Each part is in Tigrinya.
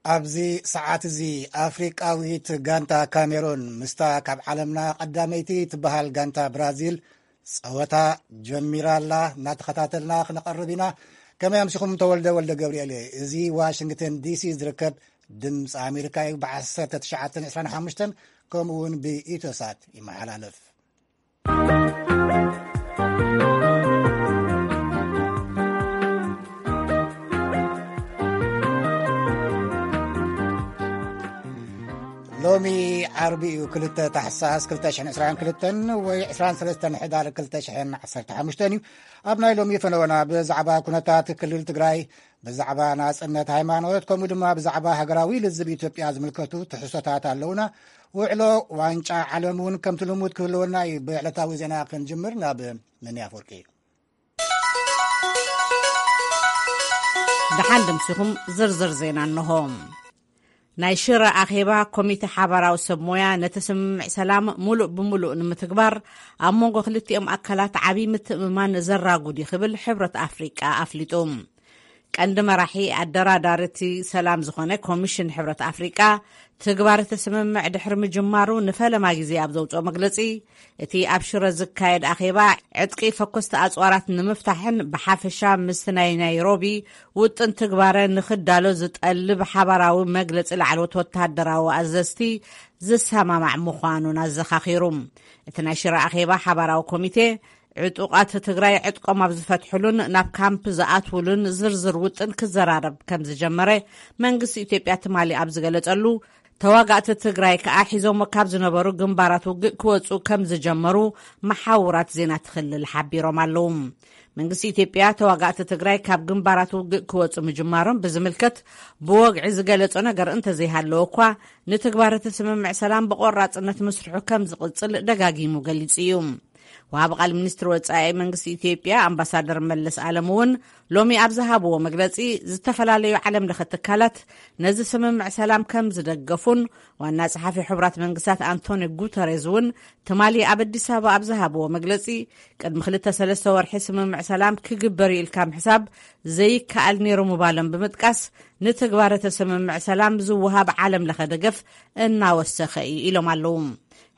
ኣብዚ ሰዓት እዚ ኣፍሪቃዊት ጋንታ ካሜሩን ምስታ ካብ ዓለምና ቀዳመይቲ ትበሃል ጋንታ ብራዚል ጸወታ ጀሚራ ኣላ። እናተኸታተልና ክነቐርብ ኢና። ከመይ ኣምሲኹም? ተወልደ ወልደ ገብርኤል እየ። እዚ ዋሽንግተን ዲሲ ዝርከብ ድምፂ ኣሜሪካ እዩ። ብ1925 ከምኡ እውን ብኢትዮሳት ይመሓላለፍ። ሎሚ ዓርቢ እዩ፣ ክልተ ታሕሳስ ክልተ ሽሕን ዕስራን ክልተን ወይ ዕስራን ሰለስተን ሕዳር ክልተ ሽሕን ዓሰርተ ሓሙሽተን እዩ። ኣብ ናይ ሎሚ ፈነወና ብዛዕባ ኩነታት ክልል ትግራይ፣ ብዛዕባ ናጽነት ሃይማኖት፣ ከምኡ ድማ ብዛዕባ ሃገራዊ ልዝብ ኢትዮጵያ ዝምልከቱ ትሕዝቶታት ኣለውና። ውዕሎ ዋንጫ ዓለም እውን ከምቲ ልሙድ ክህልወና እዩ። ብዕለታዊ ዜና ክንጅምር ናብ መኒ ኣፈወርቂ። ደሓን ድምሲኹም ዝርዝር ዜና እንሆ። ናይ ሽረ ኣኼባ ኮሚቴ ሓባራዊ ሰብ ሞያ ነቲ ስምምዕ ሰላም ሙሉእ ብምሉእ ንምትግባር ኣብ መንጎ ክልቲኦም ኣካላት ዓብዪ ምትእምማን ዘራጉድ እዩ ክብል ሕብረት ኣፍሪቃ ኣፍሊጡ። ቀንዲ መራሒ ኣደራዳሪ እቲ ሰላም ዝኾነ ኮሚሽን ሕብረት ኣፍሪቃ ትግባር እቲ ስምምዕ ድሕሪ ምጅማሩ ንፈለማ ግዜ ኣብ ዘውፅኦ መግለፂ፣ እቲ ኣብ ሽረ ዝካየድ ኣኼባ ዕጥቂ ፈኮስቲ ኣፅዋራት ንምፍታሕን ብሓፈሻ ምስቲ ናይ ናይሮቢ ውጥን ትግባረ ንኽዳሎ ዝጠልብ ሓባራዊ መግለፂ ላዕለዎት ወታደራዊ ኣዘዝቲ ዝሰማማዕ ምዃኑን ኣዘኻኺሩ። እቲ ናይ ሽረ ኣኼባ ሓባራዊ ኮሚቴ ዕጡቓት ትግራይ ዕጥቆም ኣብ ዝፈትሕሉን ናብ ካምፕ ዝኣትውሉን ዝርዝር ውጥን ክዘራረብ ከም ዝጀመረ መንግስቲ ኢትዮጵያ ትማሊ ኣብ ዝገለጸሉ፣ ተዋጋእቲ ትግራይ ከኣ ሒዞሞ ካብ ዝነበሩ ግንባራት ውግእ ክወጹ ከም ዝጀመሩ መሓውራት ዜና ትኽልል ሓቢሮም ኣለዉ። መንግስቲ ኢትዮጵያ ተዋጋእቲ ትግራይ ካብ ግንባራት ውግእ ክወጹ ምጅማሮም ብዝምልከት ብወግዒ ዝገለጾ ነገር እንተዘይሃለወ እኳ፣ ንትግባር እቲ ስምምዕ ሰላም ብቆራጽነት ምስርሑ ከም ዝቕጽል ደጋጊሙ ገሊጹ እዩ። ወሃቢ ቃል ሚኒስትሪ ወጻኢ መንግስቲ ኢትዮጵያ ኣምባሳደር መለስ ኣለም እውን ሎሚ ኣብ ዝሃብዎ መግለጺ፣ ዝተፈላለዩ ዓለም ለኸ ትካላት ነዚ ስምምዕ ሰላም ከም ዝደገፉን ዋና ጸሓፊ ሕቡራት መንግስታት ኣንቶኒ ጉተሬዝ እውን ትማሊ ኣብ ኣዲስ ኣበባ ኣብ ዝሃብዎ መግለጺ፣ ቅድሚ ክልተ ሰለስተ ወርሒ ስምምዕ ሰላም ክግበር እዩ ኢልካ ምሕሳብ ዘይከኣል ነይሩ ምባሎም ብምጥቃስ፣ ንትግባር እቲ ስምምዕ ሰላም ዝወሃብ ዓለም ለኸ ደገፍ እናወሰኸ እዩ ኢሎም ኣለዉ።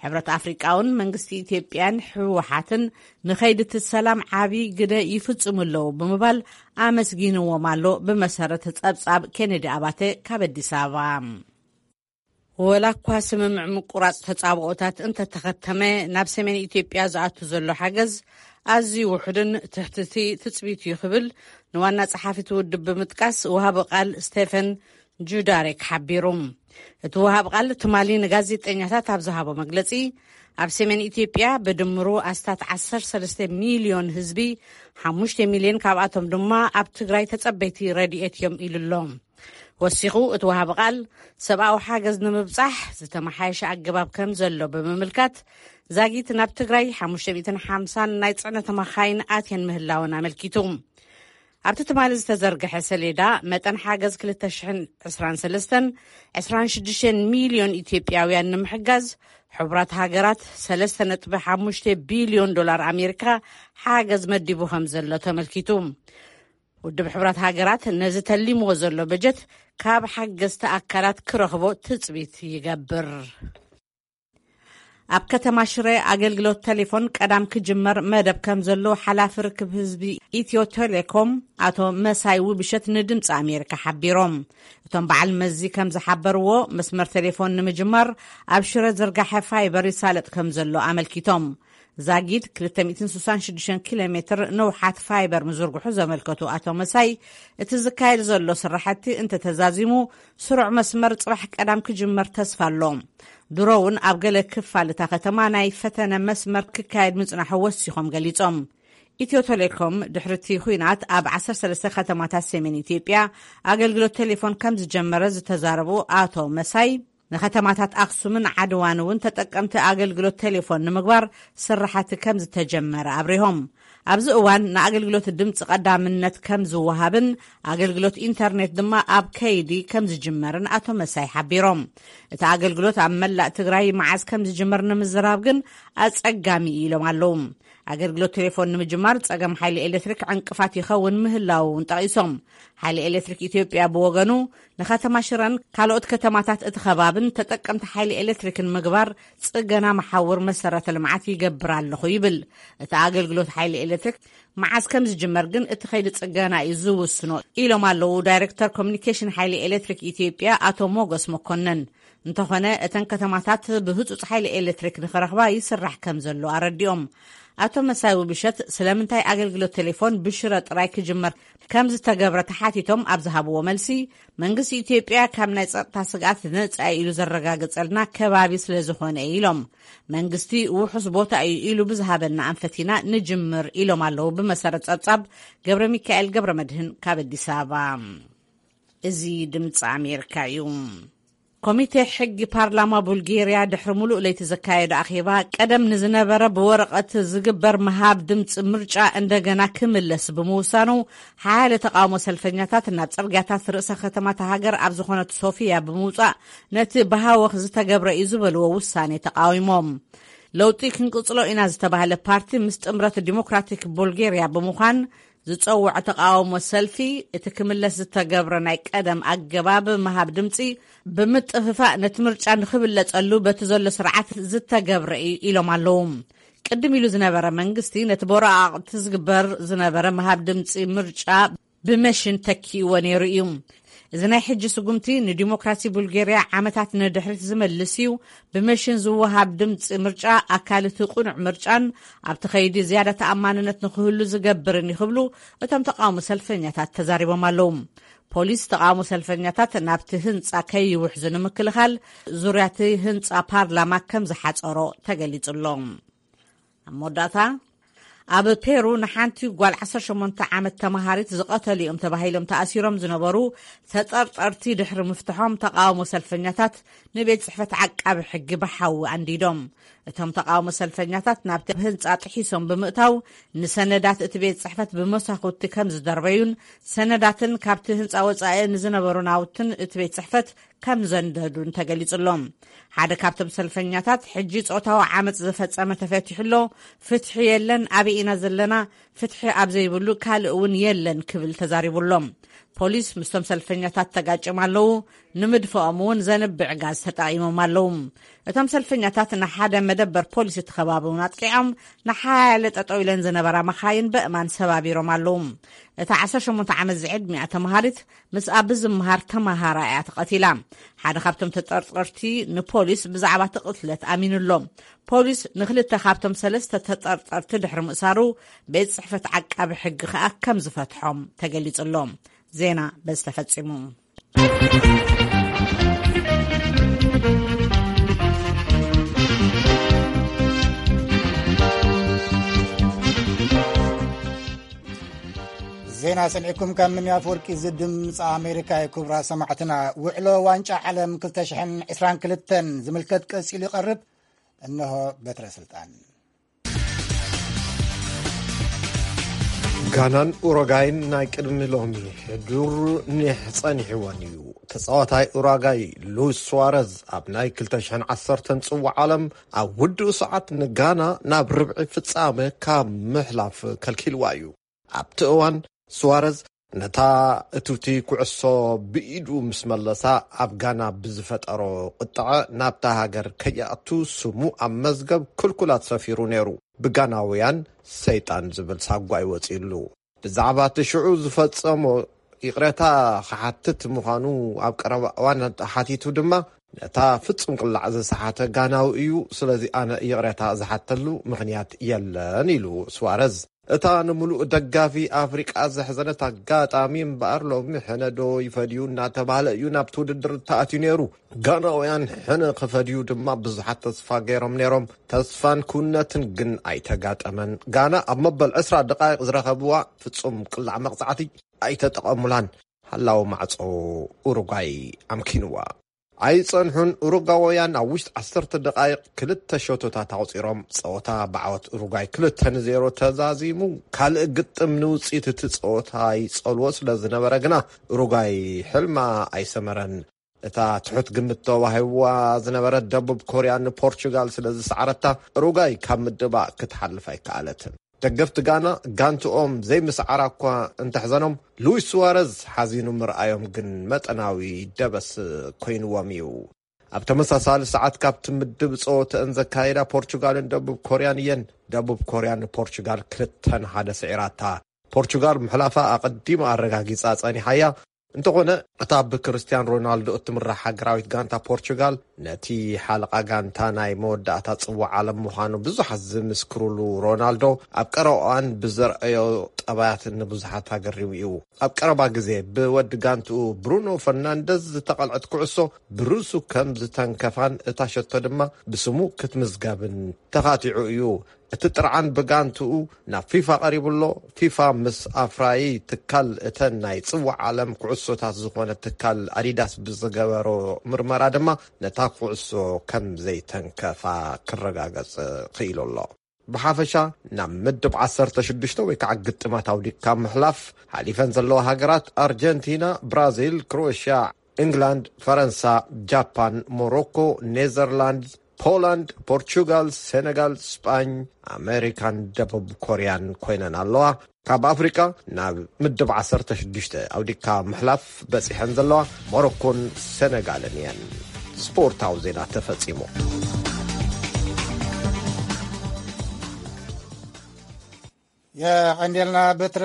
ሕብረት ኣፍሪቃ እውን መንግስቲ ኢትዮጵያን ህወሓትን ንኸይዲ እቲ ሰላም ዓብዪ ግደ ይፍጽሙ ኣለዉ ብምባል ኣመስጊንዎም ኣሎ። ብመሰረት ጸብጻብ ኬኔዲ ኣባተ ካብ ኣዲስ ኣበባ። ወላ እኳ ስምምዕ ምቁራጽ ተጻብኦታት እንተተኸተመ፣ ናብ ሰሜን ኢትዮጵያ ዝኣቱ ዘሎ ሓገዝ ኣዝዩ ውሑድን ትሕቲ እቲ ትጽቢት እዩ ክብል ንዋና ጸሓፊ እቲ ውድብ ብምጥቃስ ወሃቢ ቃል ስቴፈን ጁዳሬክ ሓቢሩ። እቲ ወሃብ ቃል ትማሊ ንጋዜጠኛታት ኣብ ዝሃቦ መግለጺ፣ ኣብ ሰሜን ኢትዮጵያ ብድምሩ ኣስታት ዓሰርተ ሰለስተ ሚልዮን ህዝቢ፣ ሓሙሽተ ሚልዮን ካብኣቶም ድማ ኣብ ትግራይ ተጸበይቲ ረድኤት እዮም ኢሉ ኣሎ። ወሲኹ እቲ ወሃቢ ቃል፣ ሰብኣዊ ሓገዝ ንምብጻሕ ዝተመሓየሸ ኣገባብ ከም ዘሎ ብምምልካት፣ ዛጊት ናብ ትግራይ ሓሙሽተ ሚእትን ሓምሳን ናይ ጽዕነት መኻይን ኣትየን ምህላወን ኣመልኪቱ። ኣብቲ ትማሊ ዝተዘርግሐ ሰሌዳ፣ መጠን ሓገዝ ክልተ ሽሕን ዕስራን ሰለስተን፣ ዕስራን ሽዱሽተን ሚልዮን ኢትዮጵያውያን ንምሕጋዝ፣ ሕቡራት ሃገራት ሰለስተ ነጥቢ ሓሙሽተ ቢልዮን ዶላር ኣሜሪካ ሓገዝ መዲቡ ከም ዘሎ ተመልኪቱ። ውድብ ሕቡራት ሃገራት ነዚ ተሊምዎ ዘሎ በጀት ካብ ሓገዝቲ ኣካላት ክረኽቦ ትጽቢት ይገብር። ኣብ ከተማ ሽረ ኣገልግሎት ቴሌፎን ቀዳም ክጅመር መደብ ከም ዘሎ ሓላፊ ርክብ ህዝቢ ኢትዮ ቴሌኮም ኣቶ መሳይ ውብሸት ንድምፂ ኣሜሪካ ሓቢሮም። እቶም በዓል መዚ ከም ዝሓበርዎ፣ መስመር ቴሌፎን ንምጅማር ኣብ ሽረ ዝርጋሐ ፋይበር ይሳለጥ ከም ዘሎ ኣመልኪቶም። ዛጊድ ክልተ ሚእትን ስሳን ሽዱሽተን ኪሎ ሜትር ነውሓት ፋይበር ምዝርግሑ ዘመልከቱ ኣቶ መሳይ፣ እቲ ዝካየድ ዘሎ ስራሕቲ እንተተዛዚሙ፣ ስሩዕ መስመር ጽባሕ ቀዳም ክጅመር ተስፋ ኣሎ። ድሮ እውን ኣብ ገለ ክፋል እታ ከተማ ናይ ፈተነ መስመር ክካየድ ምጽናሑ ወሲኾም ገሊጾም። ኢትዮ ቴሌኮም ድሕሪ እቲ ኲናት ኣብ ዓሰርተ ሰለስተ ከተማታት ሰሜን ኢትዮጵያ ኣገልግሎት ቴሌፎን ከም ዝጀመረ ዝተዛረቡ ኣቶ መሳይ፣ ንከተማታት ኣኽሱምን ዓድዋን እውን ተጠቀምቲ ኣገልግሎት ቴሌፎን ንምግባር ስራሕቲ ከም ዝተጀመረ ኣብሪሆም። ኣብዚ እዋን ንኣገልግሎት ድምፂ ቀዳምነት ከም ዝወሃብን ኣገልግሎት ኢንተርኔት ድማ ኣብ ከይዲ ከም ዝጅመርን ኣቶ መሳይ ሓቢሮም። እቲ ኣገልግሎት ኣብ መላእ ትግራይ መዓዝ ከም ዝጅመር ንምዝራብ ግን ኣጸጋሚ እዩ ኢሎም ኣለዉ። ኣገልግሎት ቴሌፎን ንምጅማር ጸገም ሓይሊ ኤሌክትሪክ ዕንቅፋት ይኸውን ምህላው እውን ጠቒሶም። ሓይሊ ኤሌክትሪክ ኢትዮጵያ ብወገኑ ንከተማ ሽረን ካልኦት ከተማታት እቲ ከባብን ተጠቀምቲ ሓይሊ ኤሌክትሪክን ምግባር ጽገና መሓውር መሰረተ ልምዓት ይገብር ኣለኹ ይብል። እቲ ኣገልግሎት ሓይሊ ኤሌክትሪክ መዓስ ከም ዝጅመር ግን እቲ ከይዲ ጽገና እዩ ዝውስኖ ኢሎም ኣለዉ ዳይሬክተር ኮሚኒኬሽን ሓይሊ ኤሌክትሪክ ኢትዮጵያ ኣቶ ሞገስ መኮነን። እንተኾነ እተን ከተማታት ብህጹጽ ሓይሊ ኤሌክትሪክ ንኽረኽባ ይስራሕ ከም ዘሎ ኣረዲኦም። ኣቶ መሳይ ውብሸት ስለምንታይ ኣገልግሎት ቴሌፎን ብሽረ ጥራይ ክጅመር ከም ዝተገብረ ተሓቲቶም ኣብ ዝሃብዎ መልሲ፣ መንግስቲ ኢትዮጵያ ካብ ናይ ጸጥታ ስግኣት ነጻ ኢሉ ዘረጋገጸልና ከባቢ ስለ ዝኾነ ኢሎም። መንግስቲ ውሑስ ቦታ እዩ ኢሉ ብዝሃበና ኣንፈቲና ንጅምር ኢሎም ኣለዉ። ብመሰረት ጸብጻብ ገብረ ሚካኤል ገብረ መድህን ካብ ኣዲስ ኣበባ። እዚ ድምፂ ኣሜሪካ እዩ። ኮሚቴ ሕጊ ፓርላማ ቡልጌርያ ድሕሪ ሙሉእ ለይቲ ዘካየዶ ኣኼባ፣ ቀደም ንዝነበረ ብወረቐት ዝግበር ምሃብ ድምፂ ምርጫ እንደገና ክምለስ ብምውሳኑ፣ ሓያለ ተቃውሞ ሰልፈኛታት ናብ ጽርግያታት ርእሰ ከተማታ ሃገር ኣብ ዝኾነት ሶፊያ ብምውጻእ፣ ነቲ ብሃወኽ ዝተገብረ እዩ ዝበልዎ ውሳኔ ተቃዊሞም። ለውጢ ክንቅጽሎ ኢና ዝተባህለ ፓርቲ ምስ ጥምረት ዲሞክራቲክ ቡልጌርያ ብምዃን ዝጸውዖ ተቃውሞ ሰልፊ፣ እቲ ክምለስ ዝተገብረ ናይ ቀደም ኣገባብ ምሃብ ድምጺ ብምጥፍፋእ፣ ነቲ ምርጫ ንኽብለጸሉ በቲ ዘሎ ስርዓት ዝተገብረ እዩ ኢሎም ኣለዉ። ቅድም ኢሉ ዝነበረ መንግስቲ ነቲ ብወረቓቕቲ ዝግበር ዝነበረ ምሃብ ድምጺ ምርጫ ብመሽን ተኪእዎ ነይሩ እዩ። እዚ ናይ ሕጂ ስጉምቲ ንዲሞክራሲ ቡልጌርያ ዓመታት ንድሕሪት ዝመልስ እዩ። ብመሽን ዝወሃብ ድምፂ ምርጫ ኣካል እቲ ቅኑዕ ምርጫን ኣብቲ ከይዲ ዝያዳ ተኣማንነት ንክህሉ ዝገብርን እዩ ክብሉ እቶም ተቃውሞ ሰልፈኛታት ተዛሪቦም ኣለዉ። ፖሊስ ተቃውሞ ሰልፈኛታት ናብቲ ህንፃ ከይውሕዙ ንምክልኻል ዙርያ እቲ ህንፃ ፓርላማ ከም ዝሓፀሮ ተገሊጹ ኣሎ። ኣብ መወዳእታ፣ ኣብ ፔሩ ንሓንቲ ጓል ዓሰርተ ሸሞንተ ዓመት ተመሃሪት ዝቐተሉ እዮም ተባሂሎም ተኣሲሮም ዝነበሩ ተጠርጠርቲ ድሕሪ ምፍትሖም፣ ተቃውሞ ሰልፈኛታት ንቤት ጽሕፈት ዓቃቢ ሕጊ ብሓዊ ኣንዲዶም። እቶም ተቃውሞ ሰልፈኛታት ናብቲ ህንጻ ጥሒሶም ብምእታው፣ ንሰነዳት እቲ ቤት ጽሕፈት ብመሳኹቲ ከም ዝደርበዩን ሰነዳትን ካብቲ ህንጻ ወጻኢ ንዝነበሩ ናውትን እቲ ቤት ጽሕፈት ከም ዘንደዱን ተገሊጹ ኣሎ። ሓደ ካብቶም ሰልፈኛታት፣ "ሕጂ ጾታዊ ዓመጽ ዝፈጸመ ተፈቲሑ ኣሎ፣ ፍትሒ የለን፣ ኣበይ ኢና ዘለና? ፍትሒ ኣብ ዘይብሉ ካልእ እውን የለን" ክብል ተዛሪቡ ኣሎ። ፖሊስ ምስቶም ሰልፈኛታት ተጋጭም ኣለዉ፣ ንምድፍኦም እውን ዘንብዕ ጋዝ ተጠቒሞም ኣለዉ። እቶም ሰልፈኛታት ንሓደ መደበር ፖሊስ እቲ ከባቢ እውን ኣጥቂዖም፣ ንሓያለ ጠጠው ኢለን ዝነበራ መኻይን በእማን ሰባቢሮም ኣለዉ። እታ ዓሰርተ ሸሞንተ ዓመት ዝዕድሚኣ ተመሃሪት ምስኣ ብዝመሃር ተመሃራይ እያ ተቐቲላ። ሓደ ካብቶም ተጠርጠርቲ ንፖሊስ ብዛዕባ እቲ ቅትለት ኣሚኑ ኣሎ። ፖሊስ ንክልተ ካብቶም ሰለስተ ተጠርጠርቲ ድሕሪ ምእሳሩ፣ ቤት ጽሕፈት ዓቃቢ ሕጊ ከኣ ከም ዝፈትሖም ተገሊጹ ኣሎ። ዜና በዚ ተፈጺሙ። ዜና ሰሚዕኩም ካብ ምንያፍ ወርቂ፣ እዚ ድምፂ ኣሜሪካ እዩ። ክቡራት ሰማዕትና፣ ውዕሎ ዋንጫ ዓለም ክልተ ሽሕን ዕስራን ክልተን ዝምልከት ቀፂሉ ይቐርብ። እንሆ በትረ ስልጣን። ጋናን ኡሮጋይን ናይ ቅድሚ ሎሚ ሕዱር ኒሕ ጸኒሕወን እዩ። ተጻዋታይ ኡራጋይ ሉዊስ ሱዋረዝ ኣብ ናይ ክልተ ሽሕን ዓሰርተን ጽዋዕ ዓለም ኣብ ውድኡ ሰዓት ንጋና ናብ ርብዒ ፍጻመ ካብ ምሕላፍ ከልኪልዋ እዩ። ኣብቲ እዋን፣ ሱዋረዝ ነታ እቱቲ ኩዕሶ ብኢዱ ምስ መለሳ፣ ኣብ ጋና ብዝፈጠሮ ቁጥዐ፣ ናብታ ሃገር ከይኣቱ ስሙ ኣብ መዝገብ ክልኩላት ሰፊሩ ነይሩ። ብጋናውያን ሰይጣን ዝብል ሳጓ ይወፅእሉ። ብዛዕባ እቲ ሽዑ ዝፈጸሞ ይቕሬታ ክሓትት ምዃኑ ኣብ ቀረባ እዋን ሓቲቱ ድማ፣ ነታ ፍጹም ቅላዕ ዝሰሓተ ጋናዊ እዩ፣ ስለዚ ኣነ ይቕሬታ ዝሓተሉ ምኽንያት የለን ኢሉ ሱዋረዝ። እታ ንምሉእ ደጋፊ ኣፍሪቃ ዘሕዘነት ኣጋጣሚ እምበኣር፣ ሎሚ ሕነ ዶ ይፈድዩ እናተባህለ እዩ ናብቲ ውድድር ተኣትዩ ነይሩ። ጋናውያን ሕነ ክፈድዩ ድማ ብዙሓት ተስፋ ገይሮም ነይሮም። ተስፋን ክውነትን ግን ኣይተጋጠመን። ጋና ኣብ መበል ዕስራ ደቃይቕ ዝረኸብዋ ፍጹም ቅላዕ መቕጻዕቲ ኣይተጠቐሙላን። ሃላው ማዕጾ ኡሩጓይ ኣምኪንዋ። ኣይጸንሑን። ኡሩጓውያን ኣብ ውሽጢ ዓሰርተ ደቃይቕ ክልተ ሸቶታት ኣቑጺሮም፣ ጸወታ ብዓወት ኡሩጓይ ክልተ ንዜሮ ተዛዚሙ። ካልእ ግጥም ንውጽኢት እቲ ጸወታ ይጸልዎ ስለ ዝነበረ ግና፣ ኡሩጓይ ሕልማ ኣይሰመረን። እታ ትሑት ግምት ተዋሂብዋ ዝነበረት ደቡብ ኮርያ ንፖርቹጋል ስለ ዝሰዓረታ፣ ኡሩጓይ ካብ ምድባእ ክትሓልፍ ኣይከኣለትን። ደገፍቲ ጋና ጋንትኦም ዘይምስዓራ እኳ እንተሕዘኖም፣ ሉዊስ ሱዋረዝ ሓዚኑ ምርኣዮም ግን መጠናዊ ደበስ ኮይንዎም እዩ። ኣብ ተመሳሳሊ ሰዓት ካብቲ ምድብ ጸወተአን ዘካየዳ ፖርቹጋልን ደቡብ ኮርያን እየን። ደቡብ ኮርያ ንፖርቹጋል ክልተን ሓደ ስዒራታ። ፖርቹጋል ምሕላፋ ኣቐዲማ ኣረጋጊጻ ጸኒሓያ። እንተኾነ፣ እታ ብክርስቲያን ሮናልዶ እትምራሕ ሃገራዊት ጋንታ ፖርቹጋል፣ ነቲ ሓለቓ ጋንታ ናይ መወዳእታ ጽዋዕ ዓለም ምዃኑ ብዙሓት ዝምስክሩሉ ሮናልዶ፣ ኣብ ቀረባ እዋን ብዘርኣዮ ጠባያት ንብዙሓት ኣገሪሙ እዩ። ኣብ ቀረባ ግዜ ብወዲ ጋንትኡ ብሩኖ ፈርናንደዝ ዝተቐልዐት ኩዕሶ ብርእሱ ከም ዝተንከፋን እታ ሸቶ ድማ ብስሙ ክትምዝገብን ተኻቲዑ እዩ። እቲ ጥርዓን ብጋንትኡ ናብ ፊፋ ቀሪቡ ኣሎ። ፊፋ ምስ ኣፍራዪ ትካል እተን ናይ ጽዋዕ ዓለም ኩዕሶታት ዝኾነ ትካል ኣዲዳስ ብዝገበሮ ምርመራ ድማ ነታ ኩዕሶ ከም ዘይተንከፋ ክረጋገጽ ክኢሉ ኣሎ። ብሓፈሻ ናብ ምድብ ዓሰርተ ሽዱሽተ ወይ ከዓ ግጥማት ኣውዲካ ምሕላፍ ሓሊፈን ዘለዋ ሃገራት ኣርጀንቲና፣ ብራዚል፣ ክሮኤሽያ፣ ኢንግላንድ፣ ፈረንሳ፣ ጃፓን፣ ሞሮኮ፣ ኔዘርላንድ፣ ፖላንድ፣ ፖርቹጋል፣ ሴነጋል፣ ስጳኝ፣ ኣሜሪካን ደቡብ ኮርያን ኮይነን ኣለዋ። ካብ ኣፍሪቃ ናብ ምድብ ዓሰርተ ሽዱሽተ ኣውዲካ ምሕላፍ በጺሐን ዘለዋ ሞሮኮን ሴነጋልን እየን። ስፖርታዊ ዜና ተፈጺሙ። የቐንዴልና ብትረ።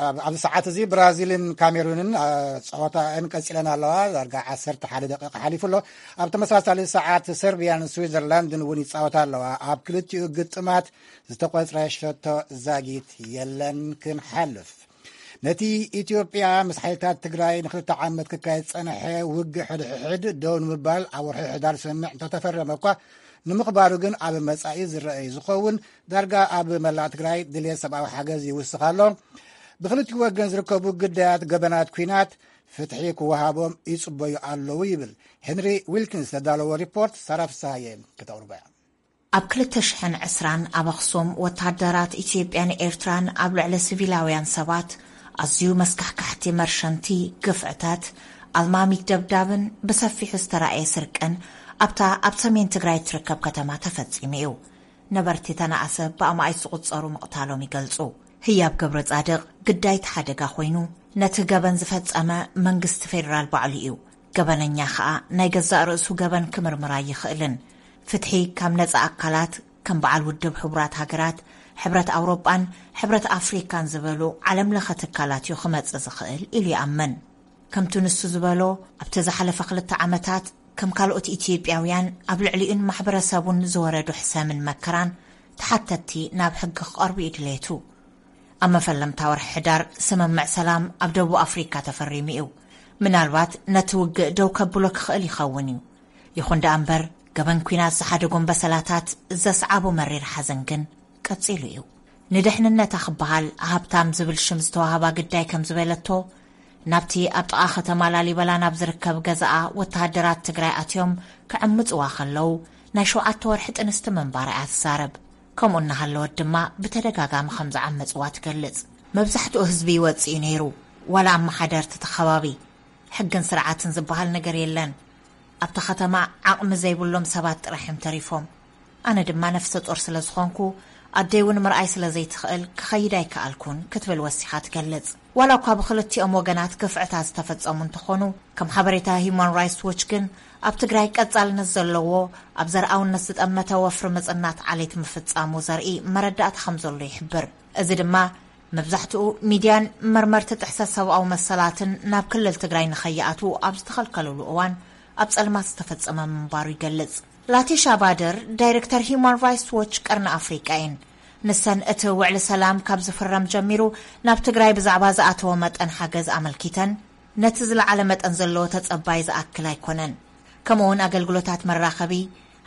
ኣብ- ኣብዚ ሰዓት እዚ ብራዚልን ካሜሩንን አ፣ ጸወታኣን ቀጺለን ኣለዋ። ዳርጋ ዓሰርተ ሓደ ደቂቕ ሓሊፉ ኣሎ። ኣብ ተመሳሳሊ ሰዓት ሰርቢያን ስዊዘርላንድን እውን ይጻወታ ኣለዋ። ኣብ ክልቲኡ ግጥማት ዝተቖጽረ ሸቶ ዛጊት የለን። ክንሓልፍ፣ ነቲ ኢትዮጵያ ምስ ሓይልታት ትግራይ ንክልተ ዓመት ክካየድ ዝጸንሐ ውግእ ሕድሕድ ደው ንምባል ኣብ ወርሒ ሕዳር ስምምዕ እንተተፈረመ እኳ፣ ንምኽባሩ ግን ኣብ መጻኢ ዝረኣይ ዝኸውን። ዳርጋ ኣብ መላእ ትግራይ ድልየት ሰብኣዊ ሓገዝ ይውስኽ ኣሎ። ብክልቲኡ ወገን ዝርከቡ ግዳያት ገበናት ኲናት ፍትሒ ክወሃቦም ይጽበዩ ኣለዉ ይብል። ሄንሪ ዊልኪንስ ዘዳለዎ ሪፖርት ሳራ ፍስሃየ ከተቕርቦ እያ። ኣብ ክልተ ሽሕን ዕስራን ኣብ ኣኽሱም፣ ወተሃደራት ኢትዮጵያን ኤርትራን ኣብ ልዕሊ ሲቪላውያን ሰባት ኣዝዩ መስካሕካሕቲ መርሸንቲ ግፍዕታት፣ ኣልማሚት ደብዳብን ብሰፊሑ ዝተራእየ ስርቅን ኣብታ ኣብ ሰሜን ትግራይ እትርከብ ከተማ ተፈጺሙ እዩ። ነበርቲ ተነኣሰ ብኣማኢት ዝቑጸሩ ምቕታሎም ይገልጹ። ህያብ ገብረጻድቕ ግዳይ እቲ ሓደጋ ኮይኑ፣ ነቲ ገበን ዝፈጸመ መንግስቲ ፌደራል ባዕሉ እዩ። ገበነኛ ኸኣ ናይ ገዛእ ርእሱ ገበን ክምርምር ኣይኽእልን። ፍትሒ ካብ ነጻ ኣካላት ከም በዓል ውድብ ሕቡራት ሃገራት፣ ሕብረት ኣውሮጳን ሕብረት ኣፍሪካን ዝበሉ ዓለምለኸ ትካላት እዩ ክመጽእ ዝኽእል ኢሉ ይኣምን። ከምቲ ንሱ ዝበሎ፣ ኣብቲ ዝሓለፈ ክልተ ዓመታት ከም ካልኦት ኢትዮጵያውያን ኣብ ልዕሊኡን ማሕበረሰቡን ዝወረዱ ሕሰምን መከራን ተሓተትቲ ናብ ሕጊ ክቐርቡ እዩ ድሌቱ። ኣብ መፈለምታ ወርሒ ሕዳር ስምምዕ ሰላም ኣብ ደቡብ ኣፍሪካ ተፈሪሙ እዩ። ምናልባት ነቲ ውግእ ደው ከብሎ ክኽእል ይኸውን እዩ። ይኹን ደኣ እምበር፣ ገበን ኲናት ዝሓደጎም በሰላታት ዘስዓቦ መሪር ሓዘን ግን ቀጺሉ እዩ። ንድሕንነታ ክበሃል ሃብታም ዝብል ሽም ዝተዋህባ ግዳይ ከም ዝበለቶ፣ ናብቲ ኣብ ጥቓ ከተማ ላሊበላ ናብ ዝርከብ ገዛኣ ወተሃደራት ትግራይ ኣትዮም ክዕምጽዋ ከለዉ፣ ናይ ሸውዓተ ወርሒ ጥንስቲ ምንባራ እያ ትዛረብ። ከምኡ እናሃለወት ድማ ብተደጋጋሚ ከም ዝዓመጽዋ ትገልጽ። መብዛሕትኡ ህዝቢ ይወጽእ እዩ ነይሩ፣ ዋላ ኣመሓደርቲ እቲ ከባቢ። ሕግን ስርዓትን ዝበሃል ነገር የለን። ኣብታ ከተማ ዓቕሚ ዘይብሎም ሰባት ጥራሕ እዮም ተሪፎም። ኣነ ድማ ነፍሰ ጡር ስለ ዝኾንኩ፣ ኣደይ እውን ምርኣይ ስለ ዘይትኽእል ክኸይድ ኣይከኣልኩን ክትብል ወሲኻ ትገልጽ። ዋላ እኳ ብክልቲኦም ወገናት ግፍዕታት ዝተፈጸሙ እንተኾኑ፣ ከም ሓበሬታ ሂዩማን ራይትስ ዎች ግን፣ ኣብ ትግራይ ቀጻልነት ዘለዎ ኣብ ዘርኣውነት ዝጠመተ ወፍሪ ምጽናት ዓሌት ምፍጻሙ ዘርኢ መረዳእታ ከም ዘሎ ይሕብር። እዚ ድማ መብዛሕትኡ ሚድያን መርመርቲ ጥሕሰት ሰብኣዊ መሰላትን ናብ ክልል ትግራይ ንኸይኣትዉ ኣብ ዝተኸልከልሉ እዋን ኣብ ጸልማት ዝተፈጸመ ምንባሩ ይገልጽ። ላቲሻ ባደር፣ ዳይሬክተር ሂዩማን ራይትስ ዎች ቀርኒ ኣፍሪቃ እየን። ንሰን እቲ ውዕሊ ሰላም ካብ ዝፍረም ጀሚሩ ናብ ትግራይ ብዛዕባ ዝኣተወ መጠን ሓገዝ ኣመልኪተን፣ ነቲ ዝለዓለ መጠን ዘለዎ ተጸባይ ዝኣክል ኣይኮነን። ከምኡውን ኣገልግሎታት መራኸቢ፣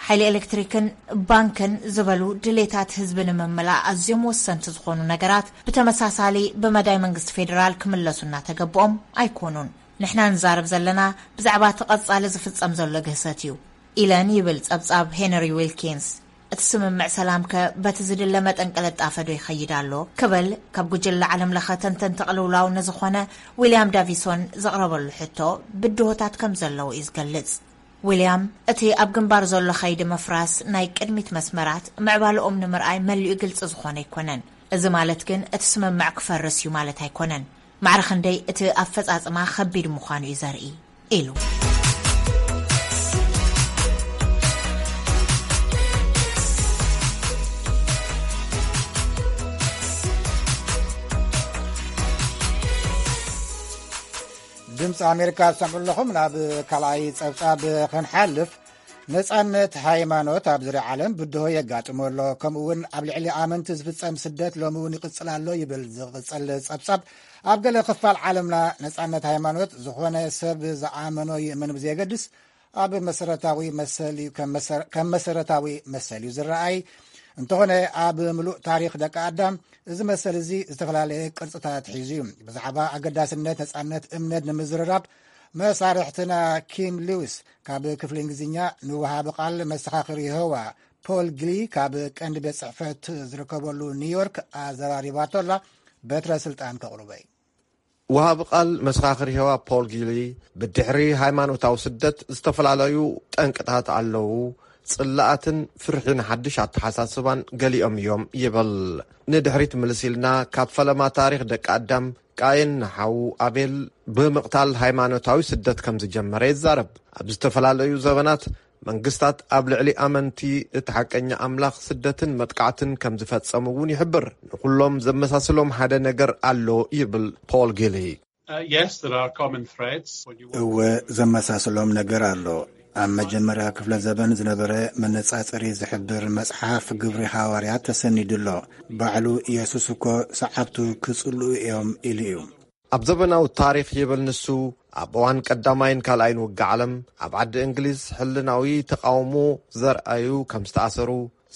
ሓይሊ ኤሌክትሪክን ባንክን ዝበሉ ድሌታት ህዝቢ ንምምላእ ኣዝዮም ወሰንቲ ዝኾኑ ነገራት ብተመሳሳሊ ብመዳይ መንግስቲ ፌዴራል ክምለሱ እናተገብኦም ኣይኮኑን። ንሕና ንዛረብ ዘለና ብዛዕባ እቲ ቀጻሊ ዝፍጸም ዘሎ ግህሰት እዩ ኢለን ይብል ጸብጻብ ሄነሪ ዊልኪንስ። እቲ ስምምዕ ሰላምከ በቲ ዝድለ መጠን ቅልጣፈ ዶ ይኸይድ ኣሎ? ክብል ካብ ጉጅለ ዓለም ለኸ ተንተንቲ ቅልውላው ንዝኾነ ዊልያም ዳቪሶን ዘቕረበሉ ሕቶ ብድሆታት ከም ዘለዉ እዩ ዝገልጽ። ዊልያም፣ እቲ ኣብ ግንባር ዘሎ ኸይዲ ምፍራስ ናይ ቅድሚት መስመራት ምዕባለኦም ንምርኣይ መሊኡ ግልጺ ዝኾነ ኣይኮነን። እዚ ማለት ግን እቲ ስምምዕ ክፈርስ እዩ ማለት ኣይኮነን። ማዕረ ክንደይ እቲ ኣፈጻጽማ ኸቢድ ምዃኑ እዩ ዘርኢ ኢሉ። ድምፂ ኣሜሪካ ትሰምዑ ኣለኹም። ናብ ካልኣይ ፀብፃብ ክንሓልፍ፣ ነፃነት ሃይማኖት ኣብ ዙርያ ዓለም ብድሆ የጋጥሞ ኣሎ። ከምኡ እውን ኣብ ልዕሊ ኣመንቲ ዝፍፀም ስደት ሎሚ እውን ይቕፅል ኣሎ ይብል ዝቕፅል ፀብፃብ። ኣብ ገለ ክፋል ዓለምና ነፃነት ሃይማኖት ዝኾነ ሰብ ዝኣመኖ ይእመን ብዘየገድስ ኣብ መሰረታዊ መሰል እዩ፣ ከም መሰረ- ከም መሰረታዊ መሰል እዩ ዝረኣይ። እንተኾነ ኣብ ምሉእ ታሪኽ ደቂ ኣዳም እዚ መሰል እዚ ዝተፈላለየ ቅርፅታት ሒዙ እዩ። ብዛዕባ ኣገዳስነት ነፃነት እምነት ንምዝርራብ መሳርሕትና ኪም ሊዊስ ካብ ክፍሊ እንግሊዝኛ ንወሃቢ ቃል መሰኻኽር የሆዋ ፖል ግሊ ካብ ቀንዲ ቤት ጽሕፈት ዝርከበሉ ኒውዮርክ ኣዘራሪባቶላ። በትረ ስልጣን ከቕርበይ። ወሃቢ ቃል መሰኻኽር የሆዋ ፖል ጊሊ፣ ብድሕሪ ሃይማኖታዊ ስደት ዝተፈላለዩ ጠንቅታት ኣለዉ። ጽላኣትን ፍርሒ ንሓድሽ ኣተሓሳስባን ገሊኦም እዮም ይብል። ንድሕሪት ምልስ ኢልና፣ ካብ ፈለማ ታሪኽ ደቂ ኣዳም፣ ቃየን ንሓዉ ኣቤል ብምቕታል ሃይማኖታዊ ስደት ከም ዝጀመረ ይዛረብ። ኣብ ዝተፈላለዩ ዘበናት መንግስታት ኣብ ልዕሊ ኣመንቲ እቲ ሓቀኛ ኣምላኽ ስደትን መጥቃዕትን ከም ዝፈጸሙ እውን ይሕብር። ንኹሎም ዘመሳስሎም ሓደ ነገር ኣሎ ይብል ፖል ጊሊ። Uh, yes, there are common threads. When you እወ፣ ዘመሳስሎም ነገር ኣሎ። ኣብ መጀመርያ ክፍለ ዘበን ዝነበረ መነጻጸሪ ዝሕብር መጽሓፍ ግብሪ ሃዋርያት ተሰኒዱ ኣሎ። ባዕሉ ኢየሱስ እኮ ሰዓብቱ ክጽልኡ እዮም ኢሉ እዩ። ኣብ ዘበናዊ ታሪኽ ይብል ንሱ፣ ኣብ እዋን ቀዳማይን ካልኣይን ውግእ ዓለም ኣብ ዓዲ እንግሊዝ ሕልናዊ ተቓውሞ ዘርኣዩ ከም ዝተኣሰሩ፣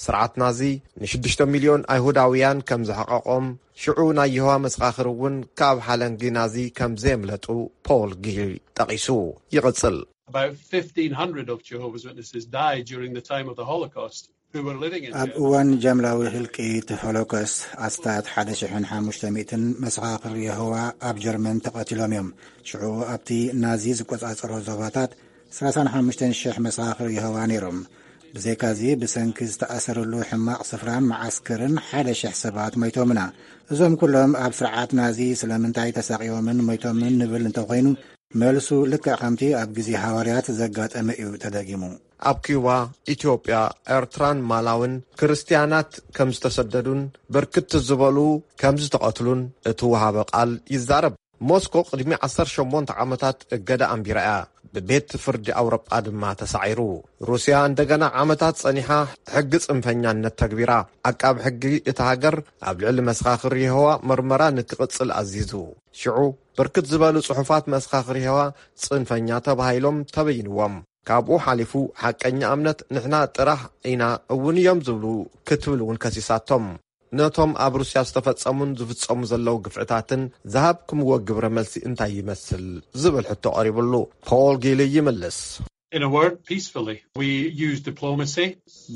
ስርዓት ናዚ ንሽዱሽተ ሚልዮን ኣይሁዳውያን ከም ዘሕቐቖም፣ ሽዑ ናይ የሆዋ መሰኻኽር እውን ካብ ሓለንጊ ናዚ ከም ዘየምለጡ ፖል ጊል ጠቒሱ ይቕጽል። About fifteen hundred of Jehovah's Witnesses died during the time of the Holocaust who were living in ኣብ Germany. እዋን ጃምላዊ ህልቂት ሆሎኮስት ኣስታት ሓደ ሽሕን ሓሙሽተ ሚእትን መሰኻኽር የሆዋ ኣብ ጀርመን ተቐቲሎም እዮም። ሽዑ ኣብቲ ናዚ ዝቆጻጸሮ ዞባታት ዕስራን ሓሙሽተን ሽሕ መሰኻኽር የሆዋ ነይሮም። ብዘይካዚ ብሰንኪ ዝተኣሰረሉ ሕማቕ ስፍራን መዓስከርን ሓደ ሽሕ ሰባት ሞይቶምና። እዞም ኩሎም ኣብ ስርዓት ናዚ ስለምንታይ ተሳቒዮምን ሞይቶምን ንብል እንተኾይኑ፣ መልሱ ልክዕ ከምቲ ኣብ ግዜ ሃዋርያት ዘጋጠመ እዩ ተደጊሙ። ኣብ ኪዩባ፣ ኢትዮጵያ፣ ኤርትራን ማላውን ክርስትያናት ከም ዝተሰደዱን ብርክት ዝበሉ ከም ዝተቐትሉን እቲ ወሃቢ ቃል ይዛረብ። ሞስኮ ቅድሚ ዓሰርተ ሸሞንተ ዓመታት እገዳ ኣንቢራ እያ። ብቤት ፍርዲ ኣውሮጳ ድማ ተሳዒሩ። ሩስያ እንደገና ዓመታት ጸኒሓ ሕጊ ጽንፈኛነት ተግቢራ። ዓቃብ ሕጊ እታ ሃገር ኣብ ልዕሊ መሰኻኽር የሆዋ መርመራ ንክቕጽል ኣዚዙ። ሽዑ ብርክት ዝበሉ ጽሑፋት መሰኻኽር የሆዋ ጽንፈኛ ተባሂሎም ተበይንዎም። ካብኡ ሓሊፉ ሓቀኛ እምነት ንሕና ጥራሕ ኢና እውን እዮም ዝብሉ ክትብል እውን ከሲሳቶም። ነቶም ኣብ ሩስያ ዝተፈጸሙን ዝፍጸሙ ዘለዉ ግፍዕታትን ዝሃብክምዎ ግብረ መልሲ እንታይ ይመስል ዝብል ሕቶ ቀሪብሉ ፖል ጊሊ ይምልስ። In a word, peacefully. We use diplomacy.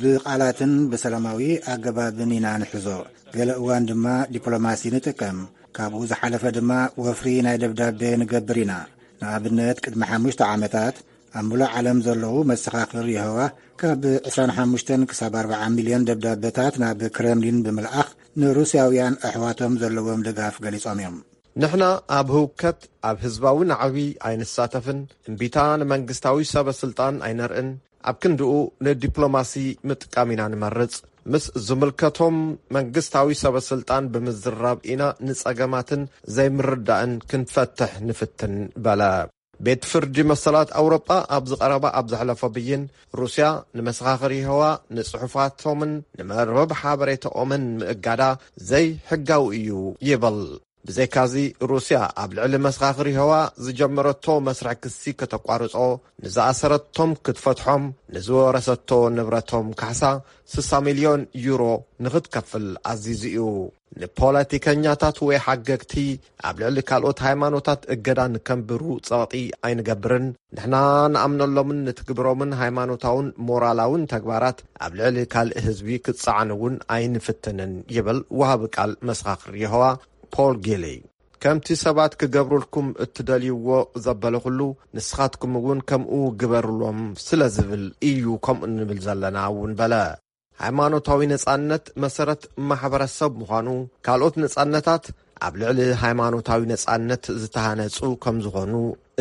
ብቓላትን ብሰላማዊ ኣገባብን ኢና ንሕዞ። ገለ እዋን ድማ ዲፕሎማሲ ንጥቀም። ካብኡ ዝሓለፈ ድማ ወፍሪ ናይ ደብዳቤ ንገብር ኢና። ንኣብነት ቅድሚ ሓሙሽተ ዓመታት ኣብ ምሉእ ዓለም ዘለዉ መሰኻኽር የሆዋ ካብ ዕስራን ሓሙሽተን ክሳብ ኣርብዓ ሚልዮን ደብዳቤታት ናብ ክረምሊን ብምልኣኽ ንሩስያውያን ኣሕዋቶም ዘለዎም ድጋፍ ገሊጾም እዮም። ንሕና ኣብ ህውከት ኣብ ህዝባዊ ናዕቢ ኣይንሳተፍን። እምቢታ ንመንግስታዊ ሰበ ስልጣን ኣይነርእን። ኣብ ክንድኡ ንዲፕሎማሲ ምጥቃም ኢና ንመርጽ። ምስ ዝምልከቶም መንግስታዊ ሰበ ስልጣን ብምዝራብ ኢና ንጸገማትን ዘይምርዳእን ክንፈትሕ ንፍትን በለ። ቤት ፍርዲ መሰላት ኣውሮጳ ኣብዚ ቀረባ ኣብ ዘሕለፎ ብይን፣ ሩስያ ንመሰኻኽር የሆዋ ንጽሑፋቶምን ንመርበብ ሓበሬታኦምን ምእጋዳ ዘይሕጋዊ እዩ ይብል። ብዘይካዚ፣ ሩስያ ኣብ ልዕሊ መሰኻኽር የሆዋ ዝጀመረቶ መስርሕ ክሲ ከተቋርጾ፣ ንዝኣሰረቶም ክትፈትሖም፣ ንዝወረሰቶ ንብረቶም ካሕሳ ስሳ ሚልዮን ዩሮ ንኽትከፍል ኣዚዙ እዩ። ንፖለቲከኛታት ወይ ሓገግቲ ኣብ ልዕሊ ካልኦት ሃይማኖታት እገዳ ንከንብሩ ጸቕጢ ኣይንገብርን። ንሕና ንኣምነሎምን ንትግብሮምን ሃይማኖታውን ሞራላውን ተግባራት ኣብ ልዕሊ ካልእ ህዝቢ ክጸዓን እውን ኣይንፍትንን ይብል ወሃቢ ቃል መሰኻኽር የሆዋ ፖል ጊሊ። ከምቲ ሰባት ክገብሩልኩም እትደልይዎ ዘበለ ኩሉ ንስኻትኩም እውን ከምኡ ግበሩሎም ስለ ዝብል እዩ ከምኡ እንብል ዘለና እውን በለ። ሃይማኖታዊ ነጻነት መሰረት ማሕበረሰብ ምዃኑ፣ ካልኦት ነጻነታት ኣብ ልዕሊ ሃይማኖታዊ ነጻነት ዝተሃነጹ ከም ዝኾኑ፣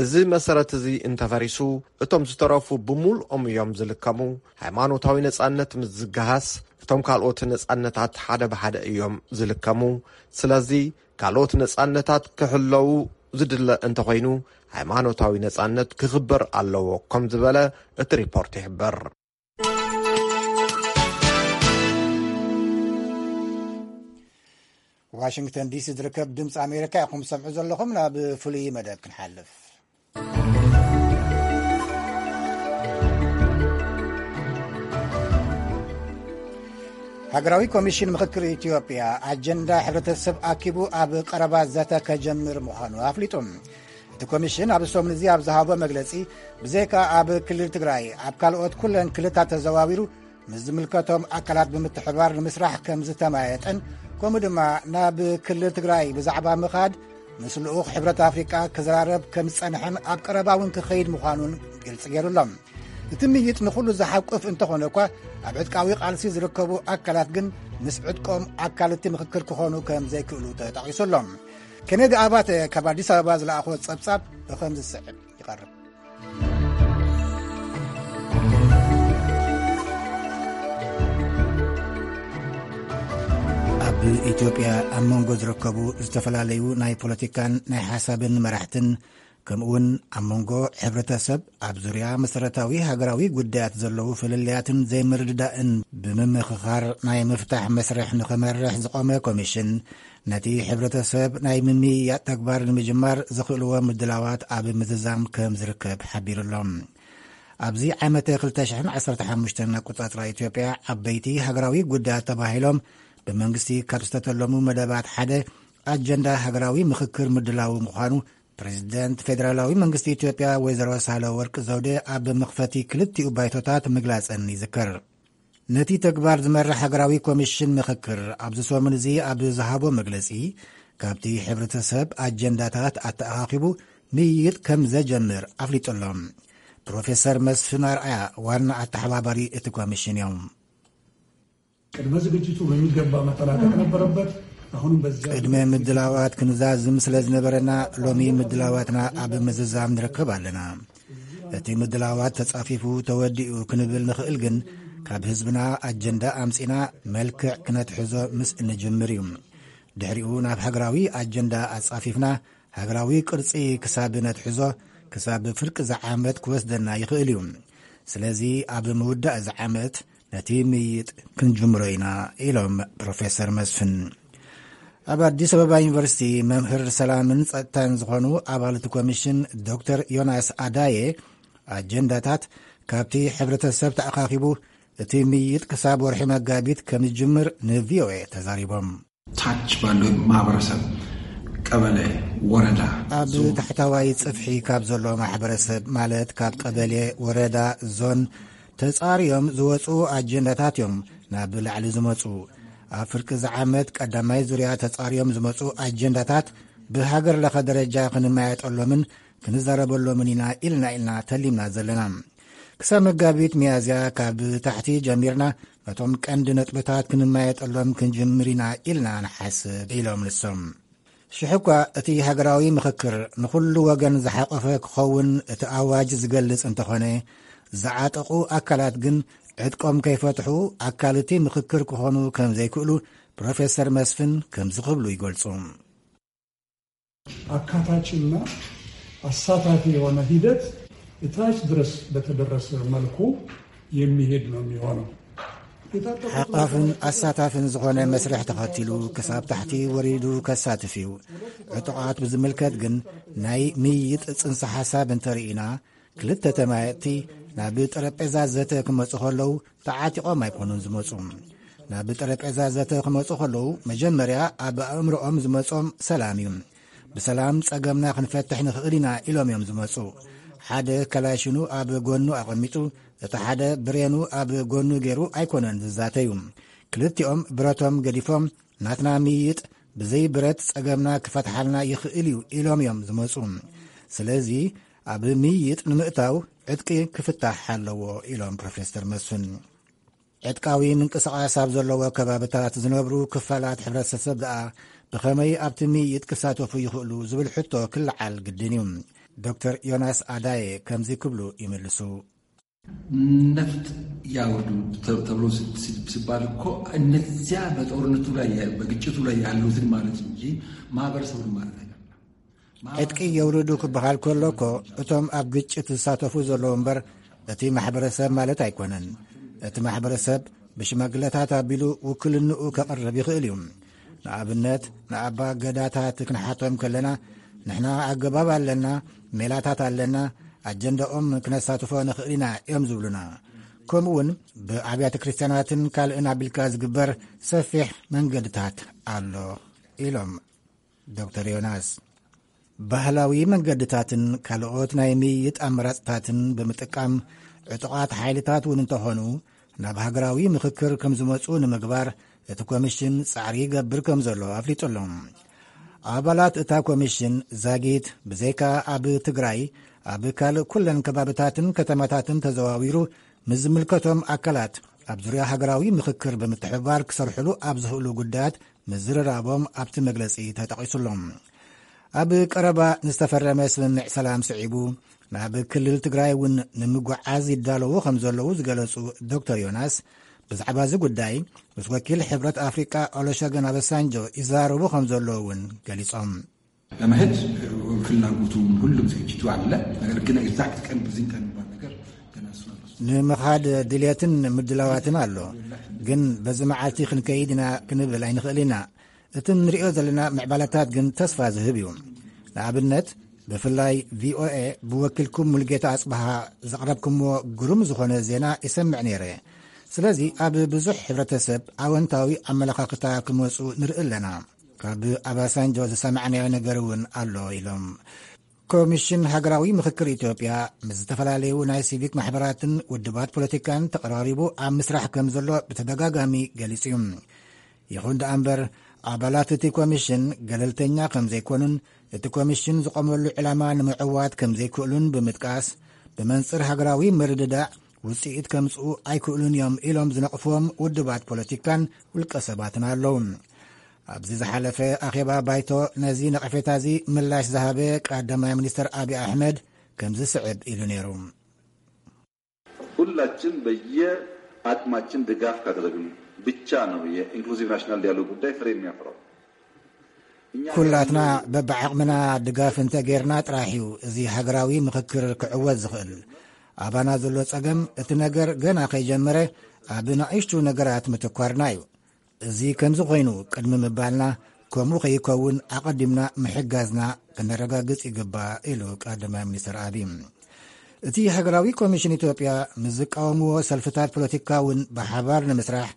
እዚ መሰረት እዚ እንተፈሪሱ እቶም ዝተረፉ ብምሉኦም እዮም ዝልከሙ። ሃይማኖታዊ ነጻነት ምስ ዝገሃስ እቶም ካልኦት ነጻነታት ሓደ ብሓደ እዮም ዝልከሙ። ስለዚ ካልኦት ነጻነታት ክሕለዉ ዝድለ እንተኾይኑ ሃይማኖታዊ ነጻነት ክኽበር ኣለዎ ከም ዝበለ እቲ ሪፖርት ይሕብር። ዋሽንግተን ዲሲ ዝርከብ ድምፂ ኣሜሪካ ኢኹም ሰምዑ ዘለኹም። ናብ ፍሉይ መደብ ክንሓልፍ። ሃገራዊ ኮሚሽን ምኽክር ኢትዮጵያ ኣጀንዳ ሕብረተሰብ ኣኪቡ ኣብ ቀረባ ዘተ ከጀምር ምዃኑ ኣፍሊጡ። እቲ ኮሚሽን ኣብ ሰሙን እዚ ኣብ ዝሃቦ መግለጺ፣ ብዘይካ ኣብ ክልል ትግራይ ኣብ ካልኦት ኩለን ክልታት ተዘዋዊሩ ምስ ዝምልከቶም ኣካላት ብምትሕባር ንምስራሕ ከም ዝተማየጠን፣ ከምኡ ድማ ናብ ክልል ትግራይ ብዛዕባ ምኻድ ምስ ልኡኽ ሕብረት ኣፍሪቃ ክዘራረብ ከም ዝጸንሐን ኣብ ቀረባ እውን ክኸይድ ምዃኑን ግልጺ ገይሩሎም። እቲ ምይጥ ንኹሉ ዝሓቁፍ እንተኾነ እኳ፣ ኣብ ዕጥቃዊ ቃልሲ ዝርከቡ ኣካላት ግን ምስ ዕጥቆም ኣካል እቲ ምኽክር ክኾኑ ከም ዘይክእሉ ተጠቒሱሎም። ኬኔዲ ኣባተ ካብ ኣዲስ ኣበባ ዝለኣኾ ጸብጻብ ብኸም ዝስዕብ ይቐርብ። ኣብ ኢትዮጵያ ኣብ መንጎ ዝርከቡ ዝተፈላለዩ ናይ ፖለቲካን ናይ ሓሳብን መራሕትን፣ ከምኡውን ኣብ መንጎ ሕብረተሰብ ኣብ ዙርያ መሰረታዊ ሃገራዊ ጉዳያት ዘለዉ ፍልልያትን ዘይምርድዳእን ብምምኽኻር ናይ ምፍታሕ መስርሕ ንኽመርሕ ዝቖመ ኮሚሽን፣ ነቲ ሕብረተሰብ ናይ ምምይያጥ ተግባር ንምጅማር ዘኽእልዎ ምድላዋት ኣብ ምዝዛም ከም ዝርከብ ሓቢሩሎም። ኣብዚ ዓመተ ክልተ ሽሕን ዓሰርተ ሓሙሽተን ኣቆጻጽራ ኢትዮጵያ ዓበይቲ ሃገራዊ ጉዳያት ተባሂሎም ብመንግስቲ ካብ ዝተተለሙ መደባት ሓደ ኣጀንዳ ሃገራዊ ምኽክር ምድላው ምዃኑ ፕሬዚደንት ፌደራላዊ መንግስቲ ኢትዮጵያ ወይዘሮ ሳህለወርቅ ዘውዴ ኣብ መኽፈቲ ክልቲኡ ባይቶታት ምግላጸን ይዝከር። ነቲ ተግባር ዝመርሕ ሃገራዊ ኮሚሽን ምኽክር ኣብዚ ሰሙን እዚ ኣብ ዝሃቦ መግለጺ፣ ካብቲ ሕብረተሰብ ኣጀንዳታት ኣተኣኻኺቡ ምይይጥ ከም ዘጀምር ኣፍሊጡሎም። ፕሮፌሰር መስፍን ኣርኣያ ዋና ኣተሓባባሪ እቲ ኮሚሽን እዮም። ቅድመ ዝግጅቱ በሚገባ መጠናቀቅ ነበረበት። አሁንም በዚያ ቅድመ ምድላዋት ክንዛዝም ስለ ዝነበረና ሎሚ ምድላዋትና ኣብ ምዝዛም ንርከብ ኣለና። እቲ ምድላዋት ተጻፊፉ ተወዲኡ ክንብል ንኽእል ግን ካብ ህዝብና ኣጀንዳ ኣምጺና መልክዕ ክነትሕዞ ምስ እንጅምር እዩ። ድሕሪኡ ናብ ሃገራዊ ኣጀንዳ ኣጻፊፍና ሃገራዊ ቅርጺ ክሳብ ነትሕዞ ክሳብ ፍርቂ እዚ ዓመት ክወስደና ይኽእል እዩ። ስለዚ ኣብ ምውዳእ እዚ ዓመት ነቲ ምይይጥ ክንጅምሮ ኢና ኢሎም ፕሮፌሰር መስፍን። ኣብ ኣዲስ ኣበባ ዩኒቨርሲቲ መምህር ሰላምን ጸጥታን ዝኾኑ ኣባል እቲ ኮሚሽን ዶክተር ዮናስ ኣዳየ ኣጀንዳታት ካብቲ ሕብረተሰብ ተኣኻኺቡ እቲ ምይይጥ ክሳብ ወርሒ መጋቢት ከም ዝጅምር ንቪኦኤ ተዛሪቦም። ታች ባለው ማህበረሰብ ቀበሌ ወረዳ ኣብ ታሕታዋይ ጽፍሒ ካብ ዘሎ ማሕበረሰብ ማለት ካብ ቀበሌ ወረዳ ዞን ተጻርዮም ዝወጹ ኣጀንዳታት እዮም ናብ ላዕሊ ዝመጹ። ኣብ ፍርቂ እዚ ዓመት ቀዳማይ ዙርያ ተጻርዮም ዝመጹ ኣጀንዳታት ብሃገር ለኸ ደረጃ ክንመያየጠሎምን ክንዛረበሎምን ኢና ኢልና ኢልና ተሊምና ዘለና። ክሳብ መጋቢት ሚያዝያ ካብ ታሕቲ ጀሚርና ነቶም ቀንዲ ነጥብታት ክንመያየጠሎም ክንጅምር ኢና ኢልና ንሓስብ ኢሎም ንሶም። ሽሕ እኳ እቲ ሃገራዊ ምኽክር ንኹሉ ወገን ዝሓቆፈ ክኸውን እቲ ኣዋጅ ዝገልጽ እንተኾነ ዝዓጠቑ ኣካላት ግን ዕጥቆም ከይፈትሑ ኣካል እቲ ምኽክር ክኾኑ ከም ዘይክእሉ ፕሮፌሰር መስፍን ከምዚ ክብሉ ይገልጹ። አካታችና አሳታፊ የሆነ ሂደት እታች ድረስ በተደረሰ መልኩ የሚሄድ ነው የሚሆነው። ሓቃፍን ኣሳታፍን ዝኾነ መስርሕ ተኸቲሉ ክሳብ ታሕቲ ወሪዱ ከሳትፍ እዩ። ዕጡቓት ብዝምልከት ግን ናይ ምይይጥ ጽንሰ ሓሳብ እንተርኢና ክልተ ተማየጥቲ ናብ ጠረጴዛ ዘተ ክመጹ ከለዉ ተዓጢቖም ኣይኮኑን ዝመጹ። ናብ ጠረጴዛ ዘተ ክመጹ ከለዉ፣ መጀመርያ ኣብ ኣእምሮኦም ዝመጾም ሰላም እዩ። ብሰላም ጸገምና ክንፈትሕ ንኽእል ኢና ኢሎም እዮም ዝመጹ። ሓደ ከላሽኑ ኣብ ጎኑ ኣቐሚጡ፣ እቲ ሓደ ብሬኑ ኣብ ጎኑ ገይሩ ኣይኮነን ዝዛተዩ። ክልቲኦም ብረቶም ገዲፎም፣ ናትና ምይይጥ ብዘይ ብረት ጸገምና ክፈትሓልና ይኽእል እዩ ኢሎም እዮም ዝመጹ። ስለዚ ኣብ ምይይጥ ንምእታው ዕጥቂ ክፍታሕ ኣለዎ ኢሎም ፕሮፌሰር መስፍን። ዕጥቃዊ ምንቅስቓስ ኣብ ዘለዎ ከባብታት ዝነብሩ ክፋላት ሕብረተሰብ ደኣ ብኸመይ ኣብቲ ምይይጥ ክሳተፉ ይኽእሉ ዝብል ሕቶ ክለዓል ግድን እዩ። ዶክተር ዮናስ ኣዳየ ከምዚ ክብሉ ይምልሱ። ነፍጥ ያውርዱ ተ-፣ ተብሎ ስ-፣ ስ-፣ ሲባል እኮ እነዚያ በጦርነቱ ላይ ያ-፣ በግጭቱ ላይ ያሉትን ማለት እንጂ ማህበረሰቡን ማለት አይደለም። ዕጥቂ የውርዱ ክበሃል ከሎ እኮ እቶም ኣብ ግጭት ዝሳተፉ ዘለዉ እምበር እቲ ማሕበረሰብ ማለት ኣይኮነን። እቲ ማሕበረሰብ ብሽማግለታት ኣቢሉ ውክልንኡ ከቕርብ ይኽእል እዩ። ንኣብነት፣ ንኣባ ገዳታት ክንሓቶም ከለና፣ ንሕና ኣገባብ ኣለና፣ ሜላታት ኣለና፣ ኣጀንዳኦም ክነሳትፎ ንኽእል ኢና እዮም ዝብሉና። ከምኡውን ብኣብያተ ክርስቲያናትን ካልእን ኣቢልካ ዝግበር ሰፊሕ መንገድታት ኣሎ ኢሎም ዶክተር ዮናስ። ባህላዊ መንገድታትን ካልኦት ናይ ምይይጥ ኣመራጽታትን ብምጥቃም፣ ዕጡቓት ሓይልታት እውን እንተኾኑ ናብ ሃገራዊ ምኽክር ከም ዝመጹ ንምግባር እቲ ኮሚሽን ጻዕሪ ይገብር ከም ዘሎ ኣፍሊጡ ኣሎ። ኣባላት እታ ኮሚሽን ዛጊት ብዘይካ ኣብ ትግራይ፣ ኣብ ካልእ ኩለን ከባብታትን ከተማታትን ተዘዋዊሩ ምስ ዝምልከቶም ኣካላት ኣብ ዙርያ ሃገራዊ ምኽክር ብምትሕብባር ክሰርሕሉ ኣብ ዝኽእሉ ጉዳያት ምዝርራቦም ኣብቲ መግለጺ ተጠቒሱሎም። ኣብ ቀረባ ዝተፈረመ ስምምዕ ሰላም ስዒቡ ናብ ክልል ትግራይ እውን ንምጉዓዝ ይዳለዉ ከም ዘለዉ ዝገለጹ ዶክተር ዮናስ፣ ብዛዕባ እዚ ጉዳይ ምስ ወኪል ሕብረት ኣፍሪቃ ኦሎሸገን ኣበሳንጆ ይዛረቡ ከም ዘለዉ እውን ገሊጾም። ለመሄድ ፍላጎቱ ሁሉም ዝግጅቱ አለ። ነገር ግን ኤግዛክት ቀን በዚህን ቀን የሚባል ነገር ገና እሱ አልወሰነም። ንምኻድ ድልየትን ምድላዋትን ኣሎ፣ ግን በዚ መዓልቲ ክንከይድ ኢና ክንብል ኣይንኽእል ኢና። እቲ ንሪኦ ዘለና ምዕባለታት ግን ተስፋ ዝህብ እዩ። ንኣብነት፣ ብፍላይ ቪኦኤ ብወኪልኩም ሙልጌታ ኣጽብሃ ዘቕረብኩምዎ ግሩም ዝኾነ ዜና ይሰምዕ ነይረ። ስለዚ ኣብ ብዙሕ ሕብረተሰብ ኣወንታዊ ኣመለኻኽታ ክመጹ ንርኢ ኣለና። ካብ ኣባሳንጆ ዝሰማዕናዮ ነገር እውን ኣሎ ኢሎም። ኮሚሽን ሃገራዊ ምኽክር ኢትዮጵያ ምስ ዝተፈላለዩ ናይ ሲቪክ ማሕበራትን ውድባት ፖለቲካን ተቐራሪቡ ኣብ ምስራሕ ከም ዘሎ ብተደጋጋሚ ገሊጹ እዩ። ይኹን ደኣ እምበር፣ ኣባላት እቲ ኮሚሽን ገለልተኛ ከም ዘይኮኑን እቲ ኮሚሽን ዝቖመሉ ዕላማ ንምዕዋት ከም ዘይክእሉን ብምጥቃስ፣ ብመንጽር ሃገራዊ ምርድዳእ ውጽኢት ከምጽኡ ኣይክእሉን እዮም ኢሎም ዝነቕፍዎም ውድባት ፖለቲካን ውልቀ ሰባትን ኣለዉ። ኣብዚ ዝሓለፈ ኣኼባ ባይቶ ነዚ ነቐፌታ እዚ ምላሽ ዝሃበ ቀዳማይ ሚኒስትር ኣብይ ኣሕመድ ከምዚ ስዕብ ኢሉ ነይሩ። ሁላችን በየአቅማችን ድጋፍ ካደረግን ብቻ ነው የኢንክሉዚቭ ናሽናል ዲያሎግ ጉዳይ ፍሬ የሚያፈራው። እኛ ኩላትና በብዓቕምና ድጋፍ እንተ ጌርና ጥራሕ እዩ እዚ ሃገራዊ ምኽክር ክዕወት ዝኽእል። ኣባና ዘሎ ጸገም እቲ ነገር ገና ከይጀመረ ኣብ ንኣሽቱ ነገራት ምትኳርና እዩ። እዚ ከምዚ ኮይኑ ቅድሚ ምባልና፣ ከምኡ ከይከውን ኣቐዲምና ምሕጋዝና ከነረጋግጽ ይግባእ ኢሉ ቀዳማይ ሚኒስትር ኣብይ። እቲ ሃገራዊ ኮሚሽን ኢትዮጵያ ምስ ዝቃወምዎ ሰልፍታት ፖለቲካ እውን ብሓባር ንምስራሕ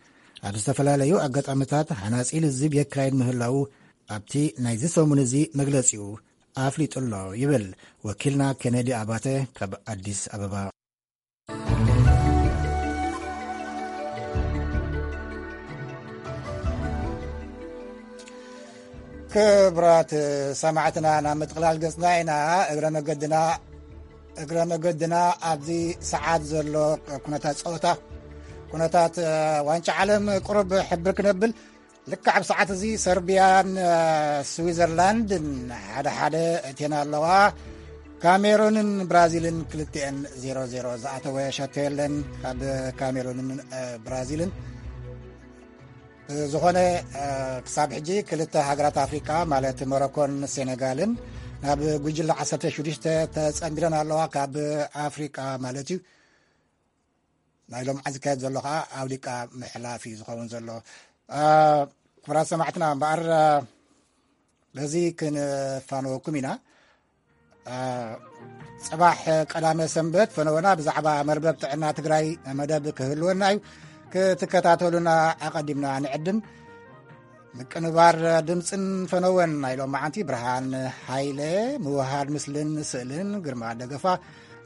ኣብ ዝተፈላለዩ ኣጋጣሚታት ሃናጺ ልዝብ የካይድ ምህላዉ ኣብቲ ናይዚ ሰሙን እዚ መግለጺኡ ኣፍሊጡ ኣሎ ይብል ወኪልና ኬነዲ ኣባተ ካብ ኣዲስ ኣበባ። ክቡራት ሰማዕትና፣ ናብ ምጥቕላል ገጽና ኢና። እግረ መገድና፣ እግረ መገድና ኣብዚ ሰዓት ዘሎ ኩነታት ጸወታ፣ ኩነታት ዋንጫ ዓለም ቁሩብ ሕብር ክነብል፣ ልክዕ ኣብ ሰዓት እዚ ሰርቢያን ስዊዘርላንድን ሓደ ሓደ እትየን ኣለዋ። ካሜሩንን ብራዚልን ክልቲኤን ዜሮ ዜሮ። ዝኣተወ ሸቶ የለን ካብ ካሜሩንን ብራዚልን። ዝኾነ ክሳብ ሕጂ ክልተ ሃገራት ኣፍሪቃ ማለት ሞሮኮን ሴኔጋልን ናብ ጉጅለ ዓሰርተ ሽዱሽተ ተጸንቢረን ኣለዋ፣ ካብ ኣፍሪቃ ማለት እዩ። ናይ ሎም ዓዚ ዝካየድ ዘሎ ከዓ ኣውሊቃ ምሕላፍ እዩ ዝኸውን ዘሎ። ክቡራት ሰማዕትና፣ እምበኣር በዚ ክንፋነወኩም ኢና። ጽባሕ ቀዳመ ሰንበት ፈነወና ብዛዕባ መርበብ ጥዕና ትግራይ መደብ ክህልወና እዩ። ክትከታተሉና ኣቐዲምና ንዕድም። ምቅንባር ድምፅን ፈነወን ናይ ሎማዓንቲ ብርሃን ሃይለ፣ ምውሃድ ምስልን ስእልን ግርማ ደገፋ፣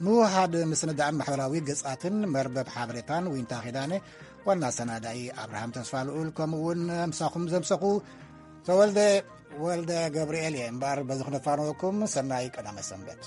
ምውሃድ ምስንዳእን ማሕበራዊ ገጻትን መርበብ ሓበሬታን ዊንታ ኺዳነ፣ ዋና ሰናዳኢ ኣብርሃም ተስፋ ልኡል፣ ከምኡ እውን ምሳኹም ዘምሰኹ ተወልደ ወልደ ገብርኤል እየ። እምበኣር በዚ ክነፋነወኩም፣ ሰናይ ቀዳመ ሰንበት።